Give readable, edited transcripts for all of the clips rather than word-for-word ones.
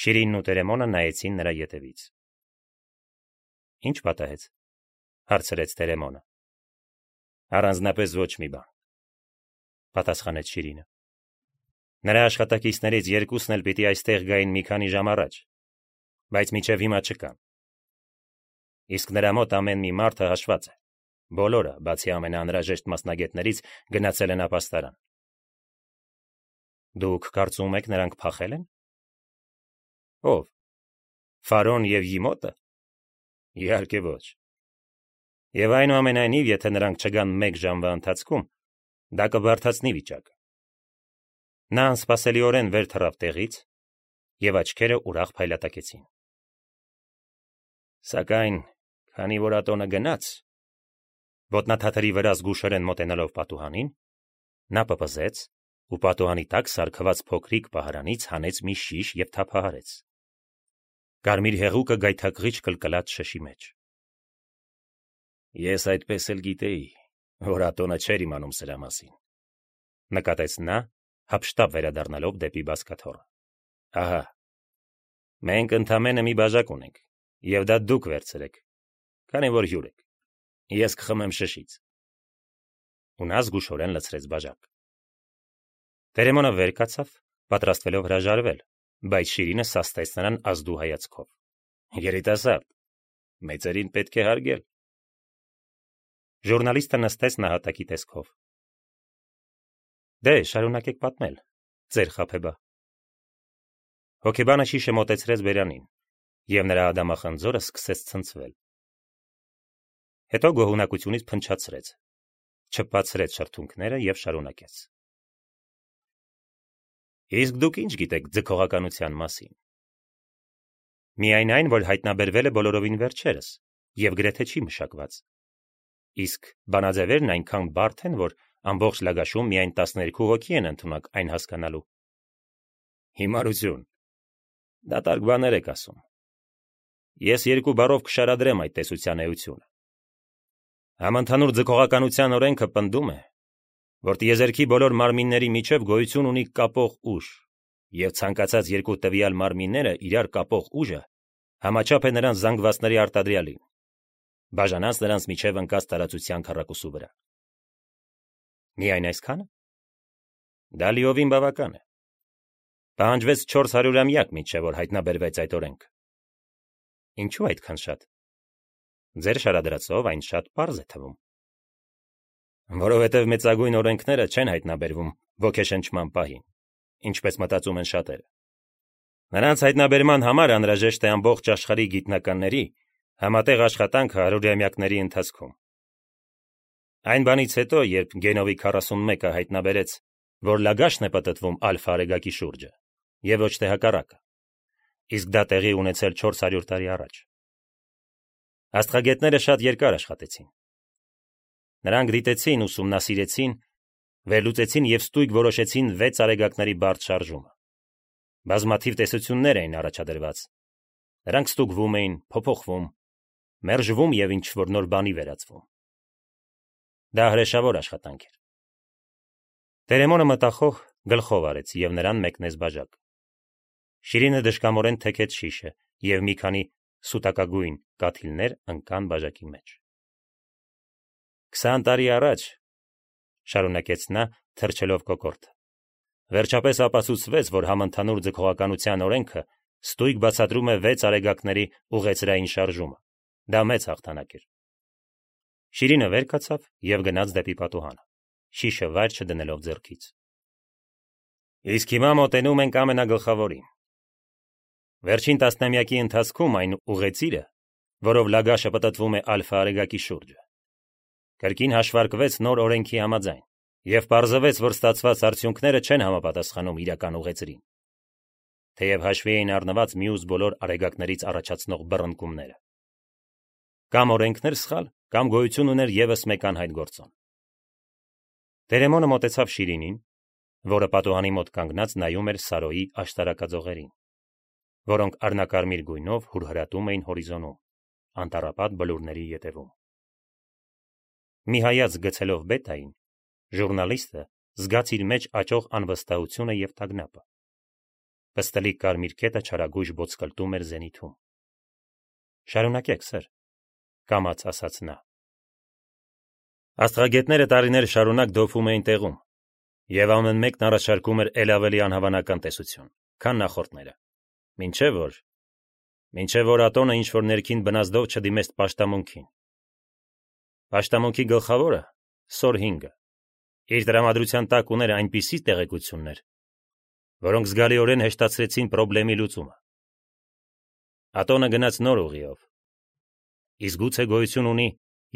Շիրինն ու Տերեմոնը նայեցին նրա ետևից։ Ինչ պատահեց, հարցրեց Տերեմոնը։ Առանձնապես ոչ մի բան, պատասխանեց Շիրինը։ Նրա աշխատակիցներից երկուսն էլ պիտի այստեղ գային մի քանի ժամ առաջ, բայց մինչև հիմա չկան։ Իսկ նրա մոտ ամեն մի մարդը հաշված է։ Բոլորը, բացի ամենաանհրաժեշտ մասնագետներից, գնացել են ապաստարան։ Դուք կարծում եք նրանք փախել են։ Ո՞վ։ Ֆարոն եւ Յիմոտը։ Իհարկե ոչ։ Եվ այնուամենայնիվ, եթե նրանք չգան մեկ ժամվա ընթացքում, դա կբարդացնի վիճակը։ Նա անսպասելիորեն վեր թռավ տեղից, եւ աչքերը ուրախ փայլատակեցին։ Սակայն, քանի որ ատոնը գնաց, ոտնաթաթերի վրա զգուշորեն մոտենալով պատուհանին, նա պպզեց ու պատուհանի տակ սարքված փոքրիկ պահարանից հանեց մի շիշ եւ թափահարեց։ Կարմիր հեղուկը գայթակղիչ կլկլած շշի մեջ։ Ես այդպես էլ գիտեի, որ ատոնը չէր իմանում սրա մասին, նկատեց նա, հափշտապ վերադառնալով դեպի բազկաթոռը։ Ահա, մենք ընդամենը մի բաժակ ունենք, եւ դա դուք վերցրեք, քանի որ հյուր եք։ Ես կխմեմ շշից։ Ու նա զգուշորեն լցրեց բաժակ։ Տերեմոնը վեր կացավ, պատրաստվելով հրաժարվել, բայց Շիրինը սաստեց նրան ազդու հայացքով։ Երիտասարդ, մեծերին պետք է հարգել։ Ժուրնալիստը նստեց նահատակի տեսքով։ Դե, շարունակեք պատմել, ձեր խաբեբա։ Հոգեբանը շիշը մոտեցրեց բերանին, եւ նրա ադամախնձորը սկսեց ցնցվել։ Հետո գոհունակությունից փնչացրեց, չփացրեց շրթունքները եւ շարունակեց։ Իսկ դուք ինչ գիտեք ձգողականության մասին։ Միայն այն, որ հայտնաբերվել է բոլորովին վերջերս եւ գրեթե չի մշակված։ Իսկ բանաձևերն այնքան բարդ են, որ ամբողջ Լագաշում միայն 12 հոգի են ընդունակ այն հասկանալու։ Հիմարություն։ Դատարկ բաներ եք ասում։ Ես 2 բառով կշարադրեմ այդ տեսության էությունը։ Համընդհանուր ձգողականության օրենքը պնդում է, որ տիեզերքի բոլոր մարմինների միջև գոյություն ունի կապող ուժ, եւ ցանկացած 2 տվյալ մարմինները իրար կապող ուժը համաչափ է նրանց զանգվածների արտադրյալին, բաժանած նրանց միջև ընկած տարածության քառակուսու վրա։ Միայն այսքանը։ Դա լիովին բավական է։ Պահանջվեց 400-ամյակ միջև որ հայտնաբերվեց այդ օրենքը։ Ինչու այդքան շատ։ Ձեր շարադրածով այն շատ պարզ է թվում։ Որովհետև մեծագույն օրենքները չեն հայտնաբերվում ոգեշնչման պահին, ինչպես մտածում են շատերը։ Նրանց հայտնաբերման համար անհրաժեշտ է ամբողջ աշխարհի գիտնականների համատեղ աշխատանքը 100-ամյակների ընթացքում։ Այն բանից հետո, երբ Գենովի 41-ը հայտնաբերեց, որ Լագաշն է պտտվում ալֆա արեգակի շուրջը, եւ ոչ թե հակառակը, իսկ դա տեղի ունեցել 400 տարի առաջ։ Աստղագետները շատ երկար աշխատեցին։ Նրանք դիտեցին, ուսումնասիրեցին, վերլուծեցին եւ ստույգ որոշեցին 6 արեգակների բարդ շարժումը։ Բազմաթիվ տեսություններ էին առաջադրված։ Նրանք ստուգվում էին, փոփոխվում, մերժվում եւ ինչ-որ նոր բանի վերածվում։ Դա հրեշավոր աշխատանք էր։ Տերեմոնը մտախոհ գլխով արեց եւ նրան մեկնեց բաժակ։ Շիրինը դժկամորեն թեքեց շիշը եւ մի քանի սուտակագույն կաթիլներ ընկան բաժակի մեջ։ 20 տարի առաջ, շարունակեց նա, թրջելով կոկորդը, վերջապես ապացուցվեց, որ համընդհանուր ձգողականության օրենքը ստույգ բացատրում է 6 արեգակների ուղեծրային շարժումը։ Դա մեծ հաղթանակ էր։ Շիրինը վեր կացավ եւ գնաց դեպի պատուհանը, շիշը վայր չդնելով ձեռքից։ Իսկ հիմա մոտենում ենք ամենագլխավորին։ Վերջին տասնամյակի ընթացքում այն ուղեծիրը, որով Լագաշը պտտվում է ալֆա արեգակի շուրջը, կրկին հաշվարկվեց նոր օրենքի համաձայն եւ պարզվեց, որ ստացված արդյունքները չեն համապատասխանում իրական ուղեծրին, թեև հաշվի էին առնված մյուս բոլոր արեգակներից առաջացնող բռնկումները։ Կամ օրենքներ սխալ, կամ գոյություն ուներ եւս մեկ անհայտ գործոն։ Տերեմոնը մոտեցավ Շիրինին, որը պատուհանի մոտ կանգնած նայում էր Սարոյի աշտարակաձողերին, որոնք արնակարմիր գույնով հուրհրատում էին հորիզոնում, անտառապատ բլուրների ետևում։ Մի հայացք գցելով Բետային, ժուրնալիստը զգաց իր մեջ աճող անվստահությունը եւ տագնապը։ Պստլիկ կարմիր կետը չարագույժ ոտսկլտում էր զենիթում։ Շարունակեք, սեր, կամաց ասաց նա։ Աստղագետները տարիներ շարունակ դոփում էին տեղում, եւ ամեն մեկն առաջարկում էր ել ավելի անհավանական տեսություն, քան նախորդները, մինչև որ ատոնը ինչ-որ ներքին բնազդով չդիմեց պաշտամունքին։ Պաշտամունքի գլխավորը, Սոր 5-ը, իր տրամադրության տակ ուներ այնպիսի տեղեկություններ, որոնք զգալիորեն հեշտացրեցին խնդրի լուծումը։ Ատոնը գնաց նոր ուղիով։ Իսկ գուցե գոյություն ունի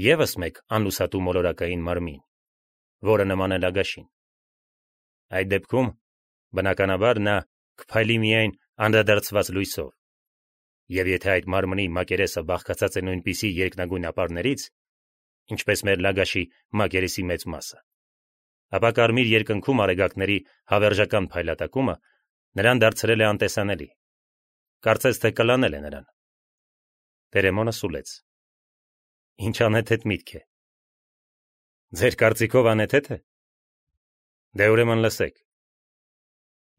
ևս մեկ անլուսատու մոլորակային մարմին, որը նման է Լագաշին։ Այդ դեպքում, բնականաբար, նա կփայլի միայն անդրադարձված լույսով, եւ եթե այդ մարմնի մակերեսը բաղկացած է նույնպիսի երկնագույն ապարներից, ինչպես մեր Լագաշի մակերեսի մեծ մասը, ապա կարմիր երկնքում արեգակների հավերժական փայլատակումը նրան դարձրել է անտեսանելի, կարծես թե կլանել է նրան։ Տերեմոնը սուլեց։ Ինչ անհեթեթ միտք է։ Ձեր կարծիքով անհեթեթ է։ Դե ուրեմն լսեք։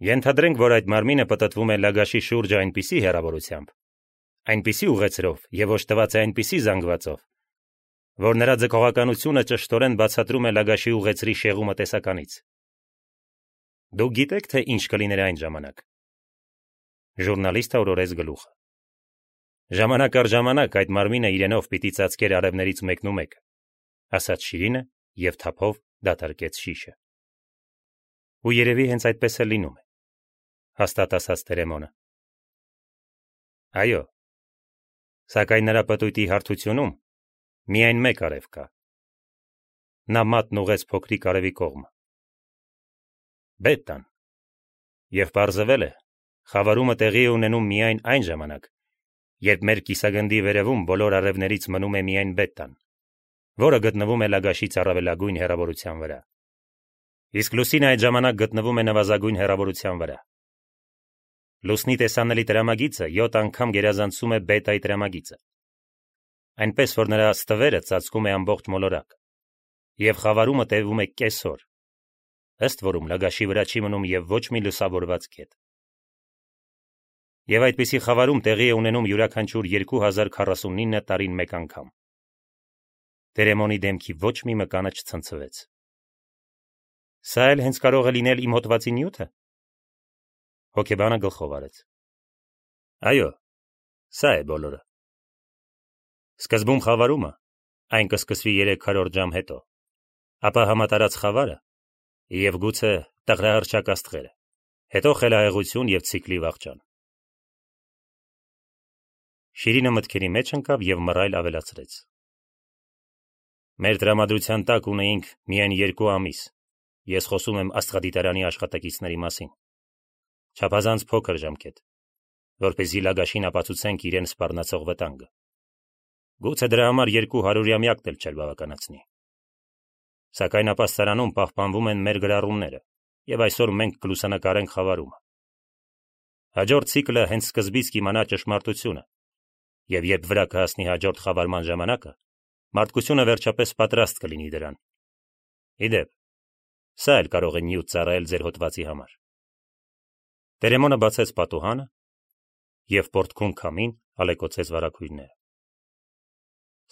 Ենթադրենք, որ այդ մարմինը պտտվում է Լագաշի շուրջը այնպիսի հեռավորությամբ, այնպիսի ուղեցրով եւ օժտված է այնպիսի զանգվածով, որ նրա ձգողականությունը ճշտորեն բացատրում է Լագաշի ուղեցրի շեղումը տեսականից։ Դուք գիտեք, թե ինչ կլիներ այն ժամանակ։ Ժուրնալիստը օրորեց գլուխը։ Ժամանակ առ ժամանակ այդ մարմինը իրենով պիտի ծածկեր արևներից մեկնումեկը, ասաց Շիրինը եւ թափով դատարկեց շիշը։ Ու երևի հենց այդպես է լինում է, հաստատ ասաց Տերեմոնը։ Այո, սակայն նրա պտույտի հարթությունում միայն մեկ արև կա։ Նա մատն ուղեց փոքրիկ արևի կողմը։ Բետան։ Եվ պարզվել է, խավարումը տեղի է ունենում միայն այն ժամանակ, երբ մեր կիսագնդի վերևում բոլոր արևներից մնում է միայն Բետան, որը գտնվում է Լագաշից առավելագույն հեռավորության վրա։ Իսկ լուսինը այդ ժամանակ գտնվում է նվազագույն հեռավորության վրա։ Լուսնի տեսանելի տրամագիծը 7 անգամ գերազանցում է Բետայի տրամագիծը, այնպես որ նրա ստվերը ծածկում է ամբողջ մոլորակ, եւ խավարումը տևում է կես օր, ըստ որում Լագաշի վրա չի մնում եւ ոչ մի լուսավորված կետ։ Եվ այդպիսի խավարում տեղի է ունենում յուրաքանչյուր 2049 տարին մեկ անգամ։ Տերեմոնի դեմքի ոչ մի մկանը չցնցվեց։ Սա էլ հենց կարող է լինել իմ հոդվածի նյութը։ Հոգեբանը գլխով արեց։ Այո, սա է բոլորը։ Սկզբում խավարումը, այն կսկսվի 300 ժամ հետո, ապա համատարած խավարը եւ գուցե տղրահրճակ աստղերը, հետո խելահեղություն եւ ցիկլի վաղճան։ Շիրինը մտքերի մեջ ընկավ եւ մռայլ ավելացրեց. Մեր տրամադրության տակ ունեինք միայն 2 ամիս, ես խոսում եմ աստղադիտարանի աշխատակիցների մասին, չափազանց փոքր ժամկետ, որպեսզի Լագաշին ապացուցենք իրեն սպառնացող վտանգը։ Գուցե դրա համար 200-ամյակն էլ չէր բավականացնի։ Սակայն ապաստարանում պահպանվում են մեր գրառումները, եւ այսօր մենք կլուսանկարենք խավարումը։ Հաջորդ ցիկլը հենց սկզբից կիմանա ճշմարտությունը, եւ երբ վրա կհասնի հաջորդ խավարման ժամանակը, մարդկությունը վերջապես պատրաստ կլինի դրան։ Իդեպ, սա էլ կարող է նյութ ծառայել ձեր հոդվածի համար։ Տերեմոնը բացեց պատուհանը եւ պորտքուն քամին ալեկոծեց վարագույրները։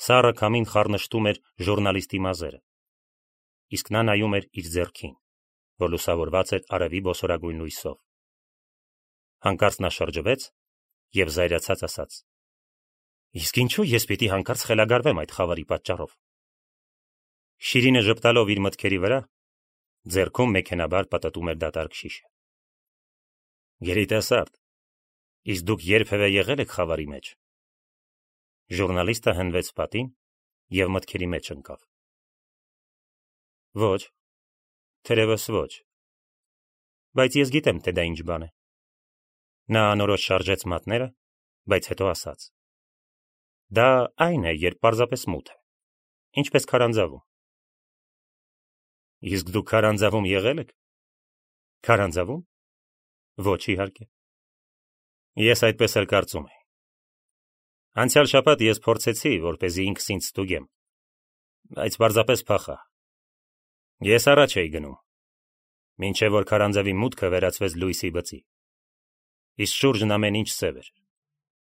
Սառը քամին խառնշտում էր ժուրնալիստի մազերը, իսկ նա նայում էր իր ձեռքին, որ լուսավորված էր արևի բոսորագույն լույսով։ Հանկարծ նա շրջվեց եւ զայրացած ասաց. Իսկ ինչու ես պիտի հանկարծ խելագարվեմ այդ խավարի պատճառով։ Շիրինը ժպտալով իր մտքերի վրա, ձեռքում մեքենաբար պտտում էր դատարկ շիշը։ Երիտասարդ, իսկ դուք երբևէ եղել եք խավարի մեջ։ Ժուրնալիստը հնվեց պատին եւ մտքերի մեջ ընկավ։ Ոչ, թերևս ոչ։ Բայց ես գիտեմ, թե դա ինչ բան է։ Նա անորոշ շարժեց մատները, բայց հետո ասաց. Դա այն է, երբ պարզապես մութ է, ինչպես քարանձավում։ Իսկ դուք քարանձավում եղել եք։ Քարանձավում։ Ոչ, իհարկե։ Ես այդպես էլ կարծում էի։ Անցյալ շաբաթ ես փորձեցի, որպեսզի ինքս ինձ ստուգեմ, բայց պարզապես փախա։ Ես առաջ էի գնում, մինչև որ քարանձավի մուտքը վերածվեց լույսի բծի։ Իսկ շուրջն ամեն ինչ սև էր։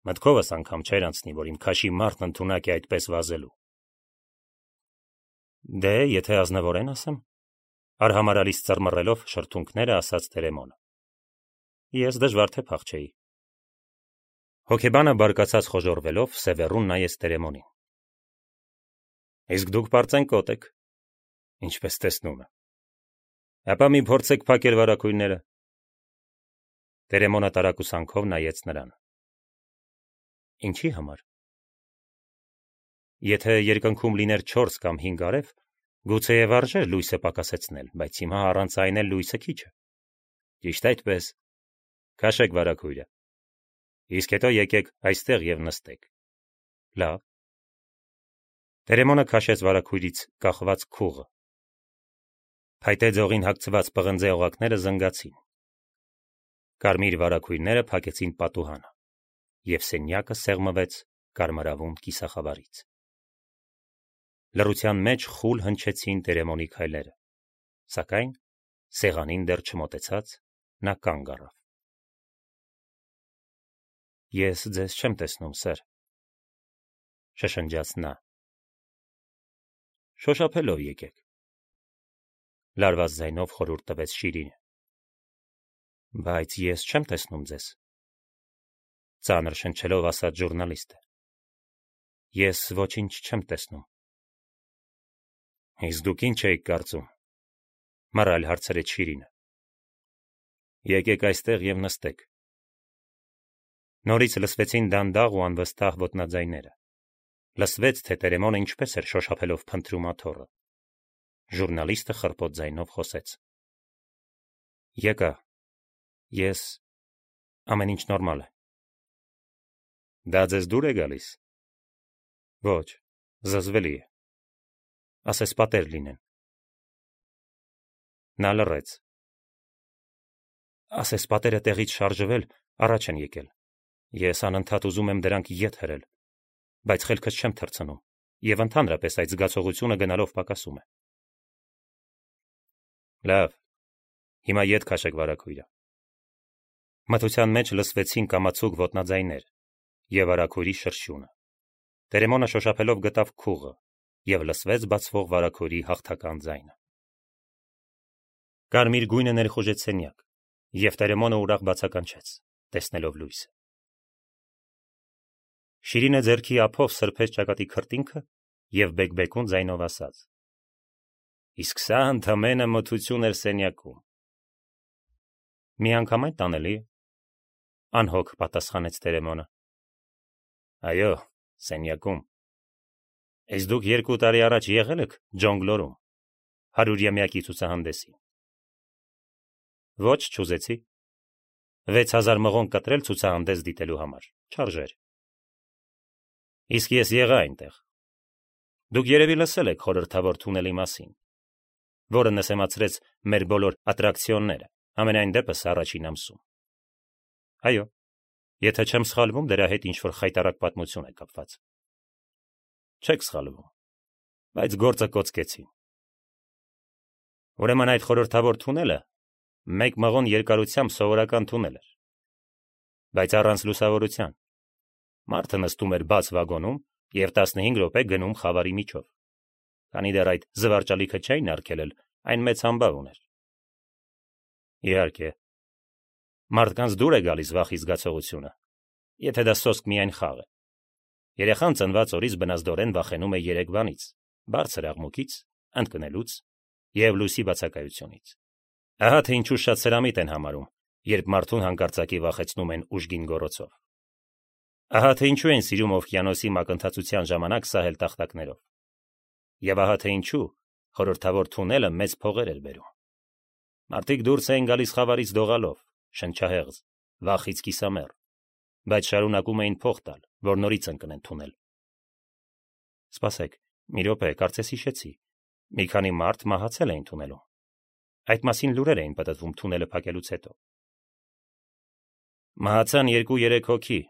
Մտքովս անգամ չէր անցնի, որ իմ քաշի մարդն ընդունակ է այդպես վազելու։ Դե, եթե ազնվորեն ասեմ, արհամարալից ծռմռելով շրթունքները ասաց Տերեմոնը։ Ես դժվար թե փախչեի։ Հոգեբանը բարկացած խոժորվելով սևեռուն նայեց Տերեմոնին։ Իսկ դուք պարծենկոտ եք, ինչպես տեսնում եմ։ Ապա մի փորձեք փակել վարակույրները։ Տերեմոնը տարակուսանքով նայեց նրան։ Ինչի համար։ Եթե երկնքում լիներ 4 կամ 5 արև, գուցեև արժեր լույսը պակասեցնել, բայց հիմա առանց այն էլ լույսը քիչ է։ Ճիշտ այդպես։ Քաշեք վարակույրը։ Իսկ հետո եկեք այստեղ եւ նստեք։ Լավ։ Տերեմոնը քաշեց վարակույրից կախված քուղը։ Փայտե ձողին հագցված պղնձե օղակները զնգացին։ Կարմիր վարակույրները փակեցին պատուհանը, եւ սենյակը սեղմվեց կարմրավուն կիսախավարից։ Լռության մեջ խուլ հնչեցին Տերեմոնի քայլերը, սակայն սեղանին դեռ չմոտեցած նա կանգ առավ։ Ես ձեզ չեմ տեսնում, սեր, շշնջաց նա։ Շոշափելով եկեք, լարված ձայնով խորհուրդ տվեց Շիրինը։ Բայց ես չեմ տեսնում ձեզ, ծանր շնչելով ասաց ժուրնալիստը։ Ես ոչինչ չեմ տեսնում։ Իսկ դուք ինչ եք կարծում, մռայլ հարցրեց Շիրինը։ Եկեք այստեղ եւ նստեք։ Նորից լսվեցին դանդաղ ու անվստահ ոտնաձայները։ Լսվեց, թե Տերեմոնը ինչպես էր շոշափելով փնտրում աթոռը։ Ժուրնալիստը խռպոտ ձայնով խոսեց։ Եկա։ Ես ամեն ինչ նորմալ է։ Դա ձեզ դուր է գալիս։ Ոչ, զզվելի է։ Ասես պատեր լինեն։ Նա լռեց։ Ասես պատերը տեղից շարժվել առաջ են եկել։ Ես անընդհատ ուզում եմ դրանք ետ հրել, բայց խելքս չեմ թռցնում, եւ ընդհանրապես այդ զգացողությունը գնալով պակասում է։ Լավ, հիմա ետ քաշեք վարակույրը։ Մթության մեջ լսվեցին կամացուկ ոտնաձայներ եւ վարակույրի շրշյունը։ Տերեմոնը շոշափելով գտավ քուղը եւ լսվեց բացվող վարակույրի հաղթական ձայնը։ Կարմիր գույնը ներխուժեց սենյակ, եւ Տերեմոնը ուրախ բացականչեց, տեսնելով լույսը։ Շիրինը ձեռքի ափով սրբեց ճակատի քրտինքը եւ բեկբեկուն ձայնով ասաց. Իսկ սա ընդամենը մթություն էր սենյակում։ Միանգամայն տանելի է, անհոգ պատասխանեց Տերեմոնը։ Այո, սենյակում։ Իսկ դուք 2 տարի առաջ եղել եք Ջոնգլորում, 100-ամյակի ցուցահանդեսին։ Ոչ, չուզեցի։ 6000 մղոն կտրել ցուցահանդես դիտելու համար, չարժեր։ Իսկ ես եղա այնտեղ։ Դուք երևի լսել եք խորհրդավոր թունելի մասին, որը նսեմացրեց մեր բոլոր ատրակցիոնները, ամենայն դեպս առաջին ամսում։ Այո, եթե չեմ սխալվում, դրա հետ ինչ-որ խայտառակ պատմություն է կապված։ Չեք սխալվում, բայց գործը կոծկեցին։ Ուրեմն այդ խորհրդավոր թունելը 1 մղոն երկարությամբ սովորական թունել էր, բայց առանց լուսավորության։ Մարդը նստում էր բաց վագոնում եւ 15 րոպե գնում խավարի միջով։ Քանի դեռ այդ զվարճալիքը չէին արգելել, այն մեծ համբավ ուներ։ Իհարկե, մարդկանց դուր է գալիս վախի զգացողությունը, եթե դա սոսկ միայն խաղ է։ Երեխան ծնված օրից բնազդորեն վախենում է 3 բանից՝ բարձր աղմուկից, ընկնելուց եւ լույսի բացակայությունից։ Ահա թե ինչու շատ սրամիտ են համարում, երբ մարդուն հանկարծակի վախեցնում են ուժգին գոռոցով։ Ահա թե ինչու են սիրում օվկիանոսի մակընթացության ժամանակ սահել տախտակներով։ Եվ ահա թե ինչու խորհրդավոր թունելը մեծ փողեր էր բերում։ Մարդիկ դուրս էին գալիս խավարից դողալով, շնչահեղձ, վախից կիսամեռ, բայց շարունակում էին փող տալ, որ նորից ընկնեն թունել։ Սպասեք, մի րոպե, կարծես հիշեցի։ Մի քանի մարդ մահացել էին թունելում։ Այդ մասին լուրեր էին պատտվում թունելը փակելուց հետո։ Մահացան 2-3 հոգի,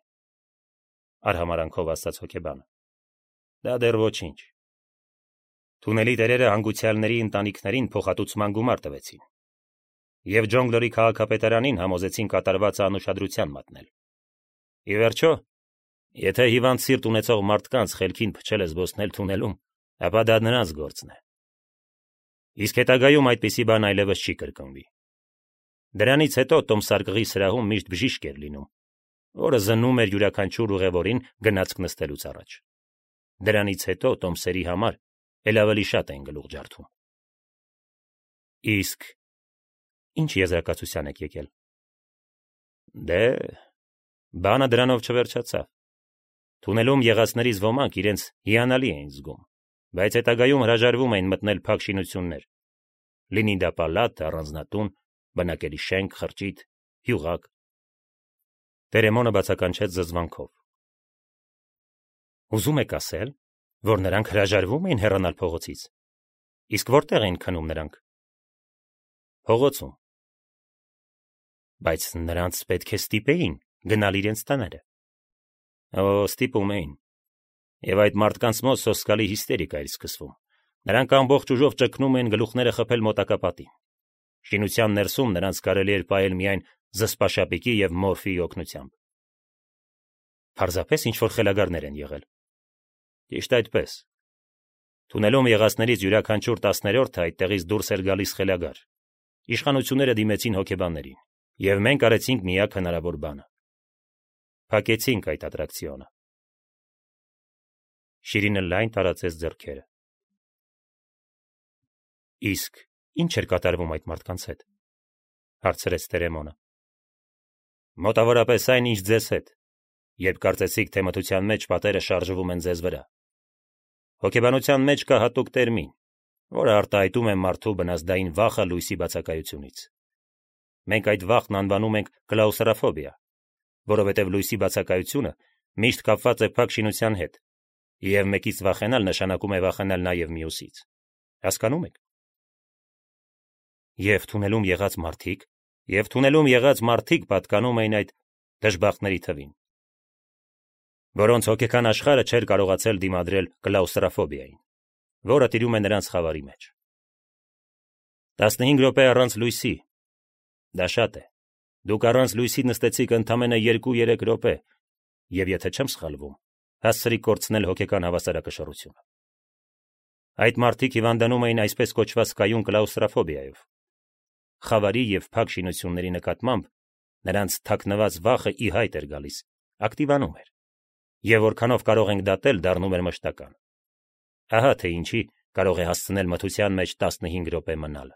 արհամարանքով ասաց հոգեբանը։ Դա դեռ ոչինչ։ Թունելի տերերը հանգուցյալների ընտանիքներին փոխհատուցման գումար տվեցին։ և Ջոնգլորի քաղաքապետարանին համոզեցին կատարվածը անուշադրության մատնել։ Ի վերջո, եթե հիվանդ սիրտ ունեցող մարդկանց խելքին փչել է զբոսնել թունելում, ապա դա նրանց գործն է։ Իսկ հետագայում այդպիսի բան այլևս չի կրկնվի։ Դրանից հետո տոմսարկղի սրահում միշտ բժիշկ էր լինում, որը զննում էր յուրաքանչյուր ուղևորին գնացք նստելուց առաջ։ Դրանից հետո տոմսերի համար էլ ավելի շատ էին գլուխ ջարդում։ Իսկ ինչ եզրակացության եք եկել։ Դե, բանը դրանով չվերջացավ։ Թունելում եղածներից ոմանք իրենց հիանալի էին զգում, բայց հետագայում հրաժարվում էին մտնել փակ շինություններ, լինի դա պալատ, առանձնատուն, բնակելի շենք, խրճիթ, հյուղակ։ Տերեմոնը բացականչեց զզվանքով։ Ուզում եք ասել, որ նրանք հրաժարվում էին հեռանալ փողոցից։ Իսկ որտեղ էին քնում նրանք։ Փողոցում։ Բայց նրանց պետք է ստիպեին գնալ իրենց տները։ Ստիպում էին։ Եվ այդ մարդկանց մոտ սոսկալի հիստերիկա էր սկսվում։ Նրանք ամբողջ ուժով ճգնում էին գլուխները խփել մոտակա պատին։ Շինության ներսում նրանց կարելի էր պահել միայն զսպաշապիկի և մորֆիի օգնությամբ։ Պարզապես ինչ-որ խելագարներ են եղել։ Ճիշտ այդպես։ Թունելում եղածներից յուրաքանչյուր 10-րդը այդտեղից դուրս էր գալիս խելագար։ Իշխանությունները դիմեցին հոգեբաններին, և մենք արեցինք միակ հնարավոր բանը։ Փակեցինք այդ ատրակցիոնը։ Շիրինը լայն տարածեց ձեռքերը։ Իսկ ինչ էր կատարվում այդ մարդկանց հետ, հարցրեց Տերեմոնը։ Մոտավորապես այն, ինչ ձեզ հետ, երբ կարծեցիք, թե մթության մեջ պատերը շարժվում են ձեզ վրա։ Հոգեբանության մեջ կա հատուկ տերմին, որը արտահայտում է մարդու բնազդային վախը լույսի բացակայությունից։ Մենք այդ վախն անվանում ենք կլաուստրոֆոբիա, որովհետև լույսի բացակայությունը միշտ կապված է փակ շինության հետ, և մեկից վախենալ նշանակում է վախենալ նաև մյուսից։ Հասկանում եք։ Եվ թունելում եղած մարդիկ պատկանում էին այդ դժբախտների թվին, որոնց հոգեկան աշխարհը չէր կարողացել դիմադրել կլաուստրոֆոբիային, որը տիրում է նրանց խավարի մեջ։ 15 րոպե առանց լույսի։ Դա շատ է։ Դուք առանց լույսի նստեցիք ընդամենը 2-3 րոպե, և եթե չեմ սխալվում, հասցրիք կորցնել հոգեկան հավասարակշռությունը։ Այդ մարդիկ հիվանդանում էին այսպես կոչված կայուն կլաուստրոֆոբիայով։ Խավարի և փակ շինությունների նկատմամբ նրանց թաքնված վախը ի հայտ էր գալիս, ակտիվանում էր, և որքանով կարող ենք դատել, դառնում էր մշտական։ Ահա թե ինչի կարող է հասցնել մթության մեջ 15 րոպե մնալը։